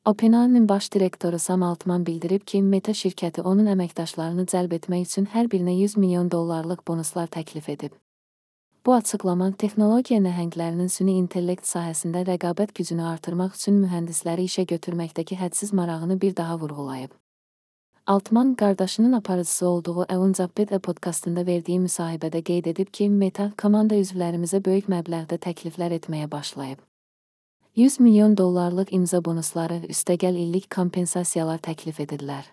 OpenAI'nin baş direktoru Sam Altman bildirib ki, Meta şirkəti onun əməkdaşlarını cəlb etmək üçün hər birinə $100 milyon bonuslar təklif edib. Bu açıqlama texnologiya nəhənglərinin süni intellekt sahəsində rəqabət gücünü artırmaq üçün mühəndisləri işə götürməkdəki hədsiz marağını bir daha vurğulayıb. Altman, qardaşının aparıcısı olduğu Eunzapped podkastında verdiyi müsahibədə qeyd edib ki, Meta komanda üzvlərimizə böyük məbləğdə təkliflər etməyə başlayıb. $100 milyon imza bonusları, üstəgəl illik kompensasiyalar təklif edirlər.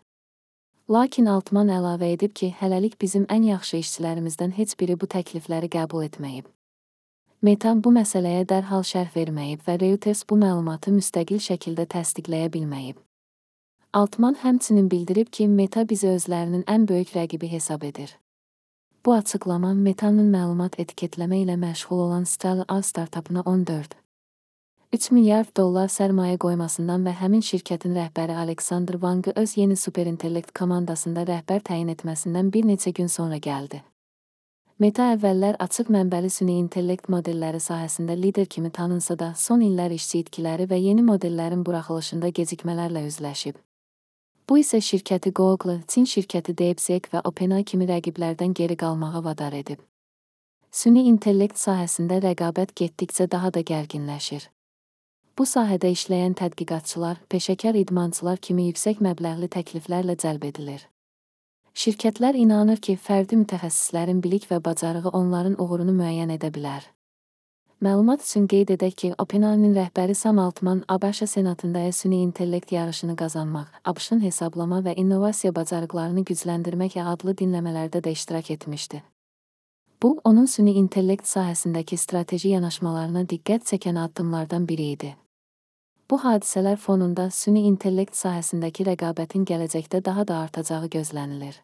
Lakin Altman əlavə edib ki, hələlik bizim ən yaxşı işçilərimizdən heç biri bu təklifləri qəbul etməyib. Meta bu məsələyə dərhal şərh verməyib və Reuters bu məlumatı müstəqil şəkildə təsdiqləyə bilməyib. Altman həmçinin bildirib ki, Meta bizi özlərinin ən böyük rəqibi hesab edir. Bu açıqlama Meta'nın məlumat etiketləmə ilə məşğul olan Stellar startupına $14,3 milyard sərmayə qoymasından və həmin şirkətin rəhbəri Alexander Wang'ı öz yeni superintellekt komandasında rəhbər təyin etməsindən bir neçə gün sonra gəldi. Meta əvvəllər açıq mənbəli süni intellekt modelləri sahəsində lider kimi tanınsa da, son illər işçi itkiləri və yeni modellərin buraxılışında gecikmələrlə üzləşib. Bu isə şirkəti Google, Çin şirkəti DeepSeek və OpenAI kimi rəqiblərdən geri qalmağa vadar edib. Süni intellekt sahəsində rəqabət getdikcə daha da gərginləşir. Bu sahədə işləyən tədqiqatçılar, peşəkar idmançılar kimi yüksək məbləğli təkliflərlə cəlb edilir. Şirkətlər inanır ki, fərdi mütəxəssislərin bilik və bacarığı onların uğurunu müəyyən edə bilər. Məlumat üçün qeyd edək ki, OpenAI'nin rəhbəri Sam Altman ABŞ Senatında süni intellekt yarışını qazanmaq, ABŞ-ın hesablama və innovasiya bacarıqlarını gücləndirmək adlı dinləmələrdə də iştirak etmişdi. Bu, onun süni intellekt sahəsindəki strateji yanaşmalarına diqqət çəkən addımlardan biri idi. Bu hadisələr fonunda süni intellekt sahəsindəki rəqabətin gələcəkdə daha da artacağı gözlənilir.